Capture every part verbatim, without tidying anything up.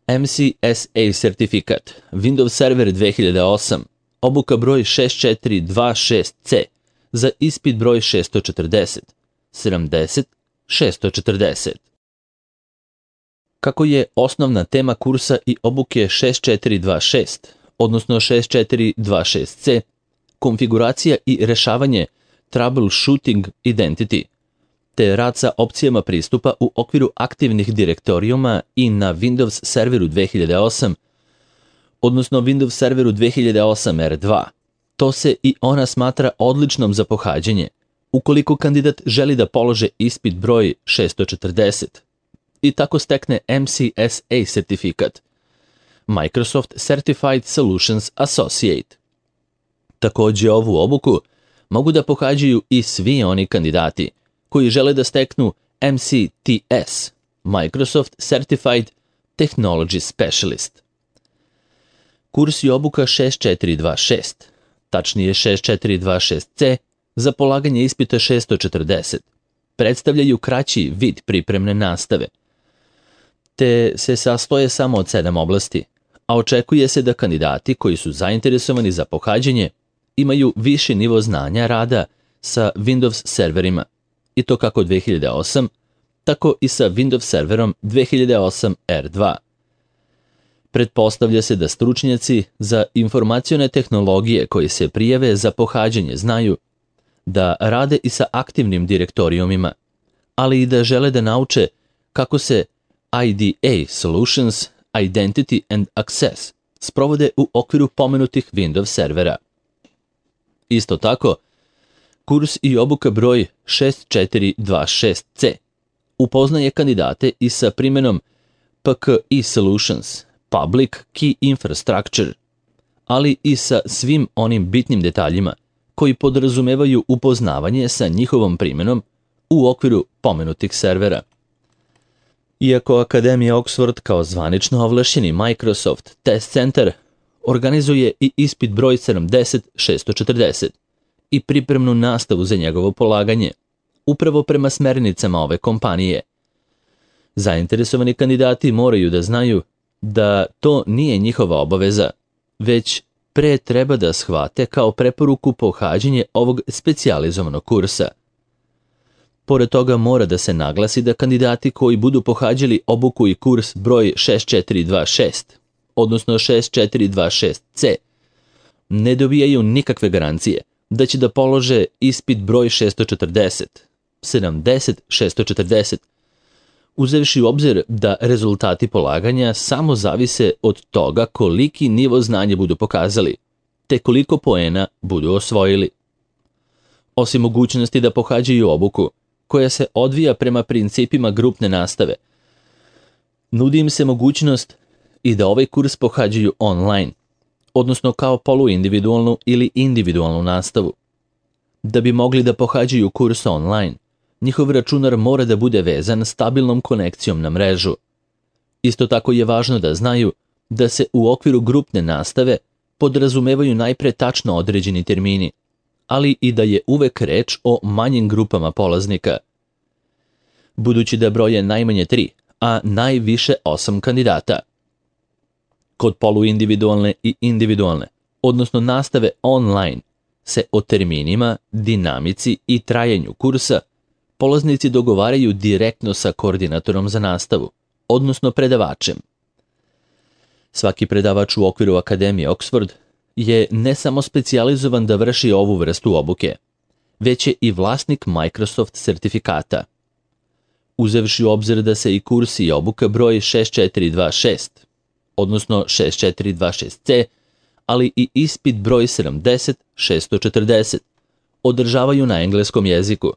M C S A sertifikat, Windows Server dve hiljade osam, obuka broj šest četiri dva šest C za ispit broj šesto četrdeset, sedamdeset, šesto četrdeset. Kako je osnovna tema kursa i obuke šest četiri dva šest, odnosno šest četiri dva šest C, konfiguracija i rešavanje troubleshooting identity, te rad sa opcijama pristupa u okviru aktivnih direktorijuma i na Windows Serveru dve hiljade osam, odnosno Windows Serveru dve hiljade osam R dva. To se i ona smatra odličnom za pohađanje, ukoliko kandidat želi da polože ispit broj šesto četrdeset i tako stekne M C S A sertifikat, Microsoft Certified Solutions Associate. Takođe ovu obuku mogu da pohađaju i svi oni kandidati koji žele da steknu M C T S, Microsoft Certified Technology Specialist. Kurs i obuka šest četiri dva šest, tačnije šest četiri dva šest C, za polaganje ispita šesto četrdeset, predstavljaju kraći vid pripremne nastave, te se sastoje samo od sedam oblasti, a očekuje se da kandidati koji su zainteresovani za pohađanje imaju viši nivo znanja rada sa Windows serverima, i to kako dve hiljade osam, tako i sa Windows serverom dve hiljade osam R dva. Pretpostavlja se da stručnjaci za informacione tehnologije koji se prijave za pohađanje znaju da rade i sa aktivnim direktorijumima, ali i da žele da nauče kako se I D A Solutions, Identity and Access sprovode u okviru pomenutih Windows servera. Isto tako, kurs i obuka broj šest četiri dva šest C upoznaje kandidate i sa primjenom P K I Solutions, Public Key Infrastructure, ali i sa svim onim bitnim detaljima koji podrazumevaju upoznavanje sa njihovom primjenom u okviru pomenutih servera. Iako Akademija Oxford kao zvanično ovlašćeni Microsoft Test Center organizuje i ispit broj sedamdeset šesto četrdeset i pripremnu nastavu za njegovo polaganje, upravo prema smernicama ove kompanije. Zainteresovani kandidati moraju da znaju da to nije njihova obaveza, već pre treba da shvate kao preporuku pohađanje ovog specijalizovanog kursa. Pored toga mora da se naglasi da kandidati koji budu pohađali obuku i kurs broj šest četiri dva šest, odnosno šest četiri dva šest C, ne dobijaju nikakve garancije da će da polože ispit broj šesto četrdeset, sedamdeset šesto četrdeset, uzevši u obzir da rezultati polaganja samo zavise od toga koliki nivo znanja budu pokazali, te koliko poena budu osvojili. Osim mogućnosti da pohađaju obuku, koja se odvija prema principima grupne nastave, nudi im se mogućnost i da ovaj kurs pohađaju online, odnosno kao poluindividualnu ili individualnu nastavu. Da bi mogli da pohađaju kurs online, njihov računar mora da bude vezan stabilnom konekcijom na mrežu. Isto tako je važno da znaju da se u okviru grupne nastave podrazumevaju najpre tačno određeni termini, ali i da je uvek reč o manjim grupama polaznika. Budući da broje najmanje tri, a najviše osam kandidata. Kod poluindividualne i individualne, odnosno nastave online, se o terminima, dinamici i trajanju kursa polaznici dogovaraju direktno sa koordinatorom za nastavu, odnosno predavačem. Svaki predavač u okviru Akademije Oxford je ne samo specijalizovan da vrši ovu vrstu obuke, već je i vlasnik Microsoft sertifikata. Uzevši u obzir da se i kurs i obuka broj šest četiri dva šest, odnosno šest četiri dva šest C, ali i ispit broj sedamdeset šesto četrdeset, održavaju na engleskom jeziku.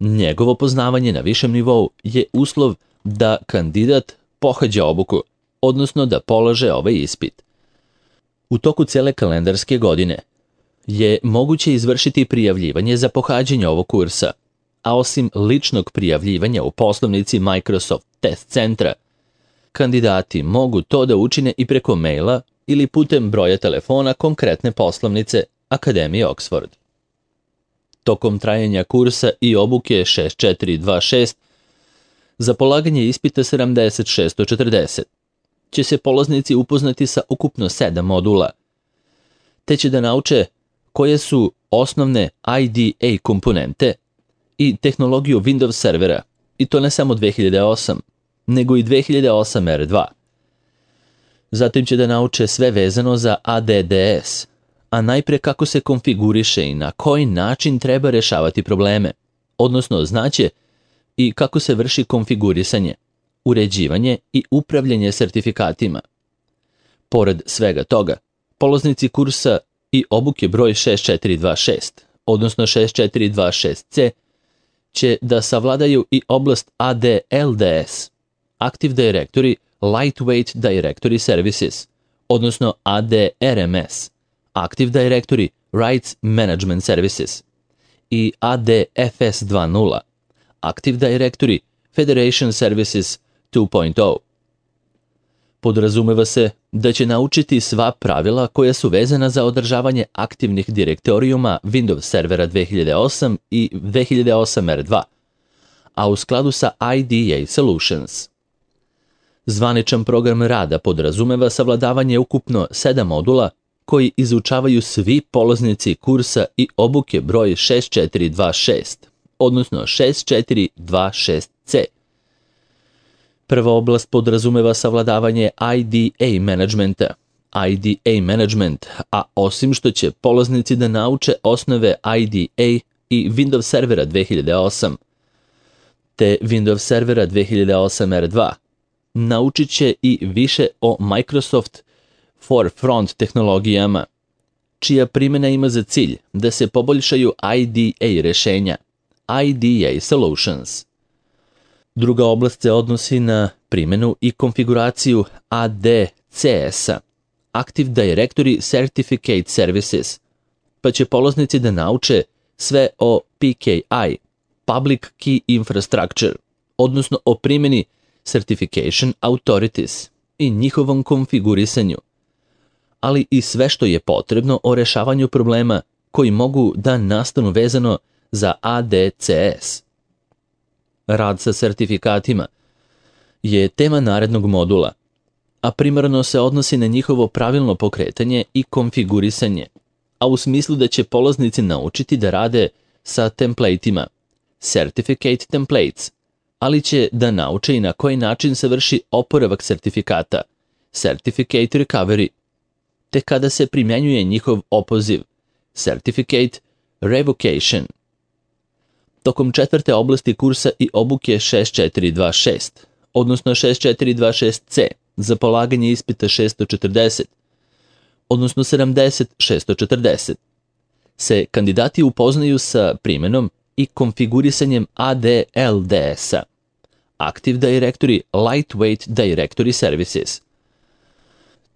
Njegovo poznavanje na višem nivou je uslov da kandidat pohađa obuku, odnosno da polaže ovaj ispit. U toku cele kalendarske godine je moguće izvršiti prijavljivanje za pohađanje ovog kursa, a osim ličnog prijavljivanja u poslovnici Microsoft Test Centra, kandidati mogu to da učine i preko maila ili putem broja telefona konkretne poslovnice Akademije Oxford. Tokom trajanja kursa i obuke šest četiri dva šest za polaganje ispita sedamdeset šesto četrdeset, će se polaznici upoznati sa ukupno sedam modula, te će da nauče koje su osnovne I D A komponente i tehnologiju Windows servera, i to ne samo dve hiljade osam, nego i dve hiljade osam R dva. Zatim će da nauče sve vezano za A D D S, a najpre kako se konfiguriše i na koji način treba rešavati probleme, odnosno znaće i kako se vrši konfigurisanje, uređivanje i upravljanje sertifikatima. Pored svega toga, polaznici kursa i obuke broj šest četiri dva šest, odnosno šest četiri dva šest C, će da savladaju i oblast A D L D S, Active Directory Lightweight Directory Services, odnosno A D R M S, Active Directory Rights Management Services, i A D F S dva nula, Active Directory Federation Services dva nula. Podrazumeva se da će naučiti sva pravila koja su vezana za održavanje aktivnih direktorijuma Windows servera dve hiljade osam i dve hiljade osam R dva, a u skladu sa I D A Solutions. Zvaničan program rada podrazumeva savladavanje ukupno sedam modula koji izučavaju svi polaznici kursa i obuke broj šest četiri dva šest, odnosno šest četiri dva šest C. Prva oblast podrazumeva savladavanje I D A managementa, I D A management, a osim što će polaznici da nauče osnove I D A i Windows servera dve hiljade osam, te Windows servera dve hiljade osam R dva, naučit će i više o Microsoft Forefront tehnologijama, čija primjena ima za cilj da se poboljšaju I D A rešenja, I D A Solutions. Druga oblast se odnosi na primjenu i konfiguraciju A D C S-a, Active Directory Certificate Services, pa će polaznici da nauče sve o P K I, Public Key Infrastructure, odnosno o primjeni Certification Authorities i njihovom konfigurisanju, ali i sve što je potrebno o rešavanju problema koji mogu da nastanu vezano za A D C S. Rad sa sertifikatima je tema narednog modula, a primarno se odnosi na njihovo pravilno pokretanje i konfigurisanje, a u smislu da će polaznici naučiti da rade sa templateima, certificate templates, ali će da nauče i na koji način se vrši oporavak sertifikata, certificate recovery, te kada se primjenjuje njihov opoziv, certificate revocation. Tokom četvrte oblasti kursa i obuke šest četiri dva šest, odnosno šest četiri dva šest C, za polaganje ispita šest četrdeset, odnosno sedamdeset šest četrdeset, se kandidati upoznaju sa primjenom i konfigurisanjem A D L D S-a, Active Directory Lightweight Directory Services.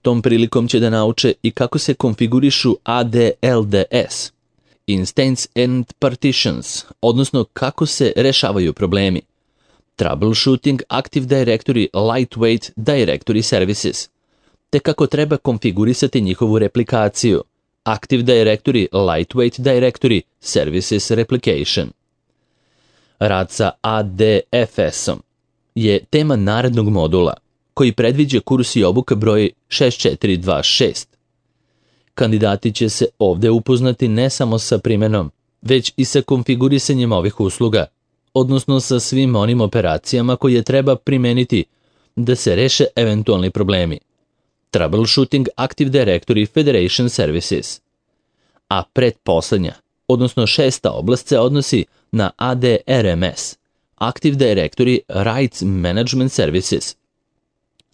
Tom prilikom će da nauče i kako se konfigurišu A D L D S, Instance and Partitions, odnosno kako se rešavaju problemi, Troubleshooting Active Directory Lightweight Directory Services, te kako treba konfigurisati njihovu replikaciju, Active Directory Lightweight Directory Services Replication. Rad sa A D F S-om je tema narednog modula, koji predviđa kurs i obuka broj šest četiri dva šest. Kandidati će se ovde upoznati ne samo sa primjenom, već i sa konfigurisanjem ovih usluga, odnosno sa svim onim operacijama koje treba primeniti da se reše eventualni problemi. Troubleshooting Active Directory Federation Services. A pretposlednja, odnosno šesta oblast se odnosi na A D R M S, Active Directory Rights Management Services,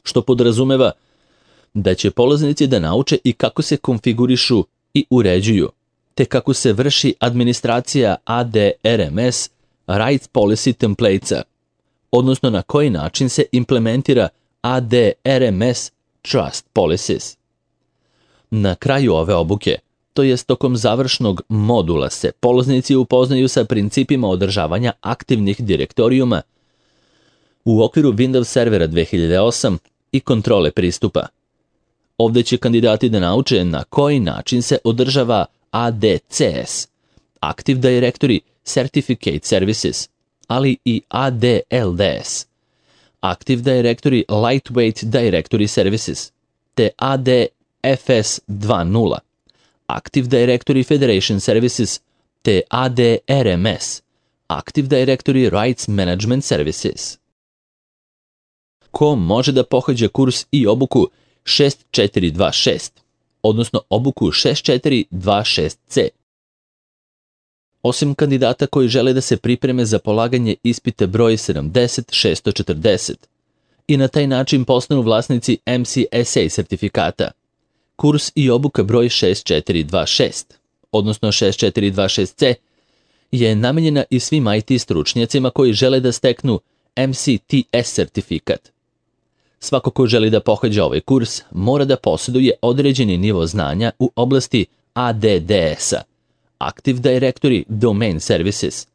što podrazumeva da će polaznici da nauče i kako se konfigurišu i uređuju, te kako se vrši administracija A D R M S Rights Policy Templatesa, odnosno na koji način se implementira A D R M S Trust Policies. Na kraju ove obuke, to jest tokom završnog modula, se polaznici upoznaju sa principima održavanja aktivnih direktorijuma u okviru Windows servera dve hiljade osam i kontrole pristupa. Ovde će kandidati da nauče na koji način se održava A D C S, Active Directory Certificate Services, ali i A D L D S, Active Directory Lightweight Directory Services, te A D F S dva nula, Active Directory Federation Services, te A D R M S, Active Directory Rights Management Services. Ko može da pohađa kurs i obuku šest četiri dva šest, odnosno obuku šest četiri dva šest C? Osim kandidata koji žele da se pripreme za polaganje ispita broj sedamdeset šest četrdeset i na taj način postanu vlasnici M C S A sertifikata, kurs i obuka broj šest četiri dva šest, odnosno šest četiri dva šest C, je namenjena i svim I T stručnjacima koji žele da steknu M C T S sertifikat. Svako ko želi da pohađa ovaj kurs mora da posjeduje određeni nivo znanja u oblasti A D D S-a, Active Directory Domain Services,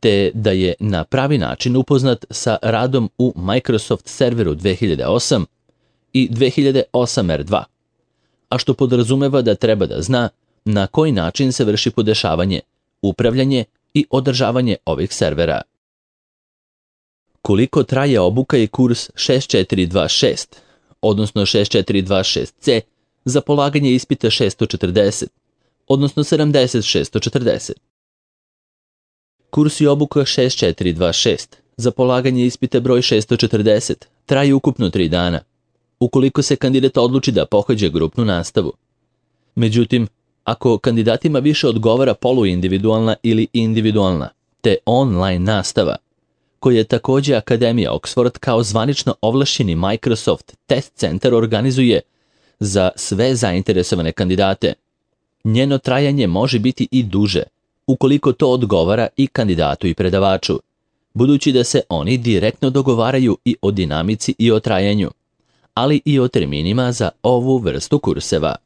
te da je na pravi način upoznat sa radom u Microsoft Serveru dve hiljade osam i dve hiljade osam R dva, a što podrazumeva da treba da zna na koji način se vrši podešavanje, upravljanje i održavanje ovih servera. Koliko traje obuka i kurs šest četiri dva šest, odnosno šest četiri dva šest C, za polaganje ispita šest četrdeset, odnosno sedamdeset šest četrdeset? Kurs i obuka šest četiri dva šest za polaganje ispita broj šest četrdeset traje ukupno tri dana, ukoliko se kandidat odluči da pohađa grupnu nastavu. Međutim, ako kandidatima više odgovara poluindividualna ili individualna, te online nastava, koje je također Akademija Oxford kao zvanično ovlašćeni Microsoft Test Center organizuje za sve zainteresovane kandidate, njeno trajanje može biti i duže, ukoliko to odgovara i kandidatu i predavaču, budući da se oni direktno dogovaraju i o dinamici i o trajanju, ali i o terminima za ovu vrstu kurseva.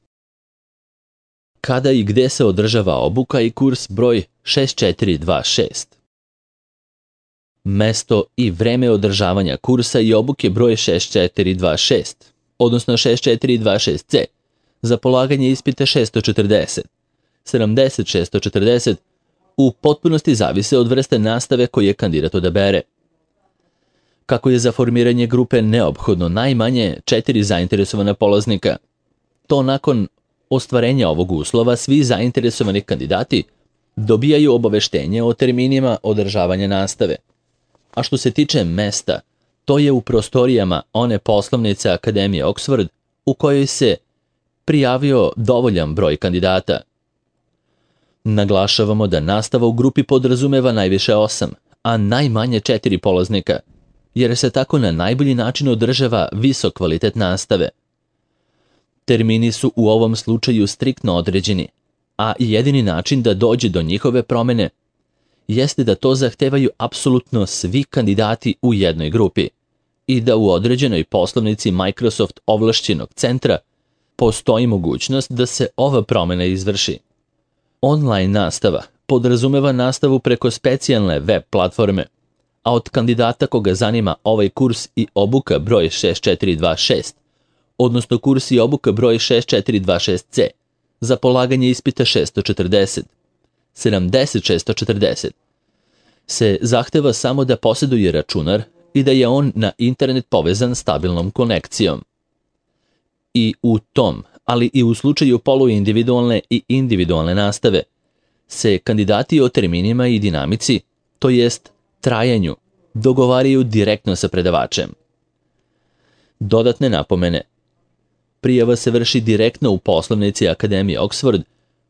Kada i gde se održava obuka i kurs broj šest četiri dva šest? Mesto i vreme održavanja kursa i obuke broj šest četiri dva šest, odnosno šest četiri dva šest C, za polaganje ispita šest četrdeset, sedamdeset šest četrdeset, u potpunosti zavise od vrste nastave koje kandidat odabere. Kako je za formiranje grupe neophodno najmanje četiri zainteresovana polaznika, to nakon ostvarenja ovog uslova svi zainteresovani kandidati dobijaju obaveštenje o terminima održavanja nastave. A što se tiče mesta, to je u prostorijama one poslovnice Akademije Oxford u kojoj se prijavio dovoljan broj kandidata. Naglašavamo da nastava u grupi podrazumeva najviše osam, a najmanje četiri polaznika, jer se tako na najbolji način održava visok kvalitet nastave. Termini su u ovom slučaju striktno određeni, a jedini način da dođe do njihove promene jeste da to zahtevaju apsolutno svi kandidati u jednoj grupi i da u određenoj poslovnici Microsoft ovlašćenog centra postoji mogućnost da se ova promjena izvrši. Online nastava podrazumeva nastavu preko specijalne web platforme, a od kandidata koga zanima ovaj kurs i obuka broj šest četiri dva šest, odnosno kurs i obuka broj šest četiri dva šest C, za polaganje ispita šest četrdeset, sedamdeset šest četrdeset, se zahteva samo da posjeduje računar i da je on na internet povezan stabilnom konekcijom. I u tom, ali i u slučaju poluindividualne i individualne nastave, se kandidati o terminima i dinamici, to jest trajanju, dogovaraju direktno sa predavačem. Dodatne napomene. Prijava se vrši direktno u poslovnici Akademije Oxford,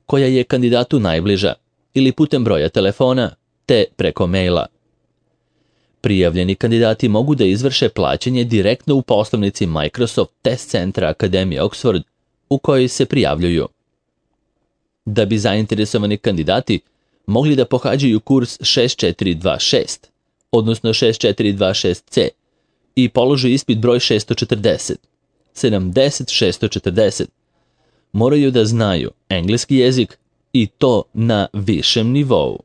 koja je kandidatu najbliža, ili putem broja telefona, te preko maila. Prijavljeni kandidati mogu da izvrše plaćanje direktno u poslovnici Microsoft Test Centra Akademije Oxford u kojoj se prijavljuju. Da bi zainteresovani kandidati mogli da pohađaju kurs šest četiri dva šest, odnosno šest četiri dva šest C, i polože ispit broj šest četrdeset, sedamdeset šest četrdeset, moraju da znaju engleski jezik i to na višem nivou.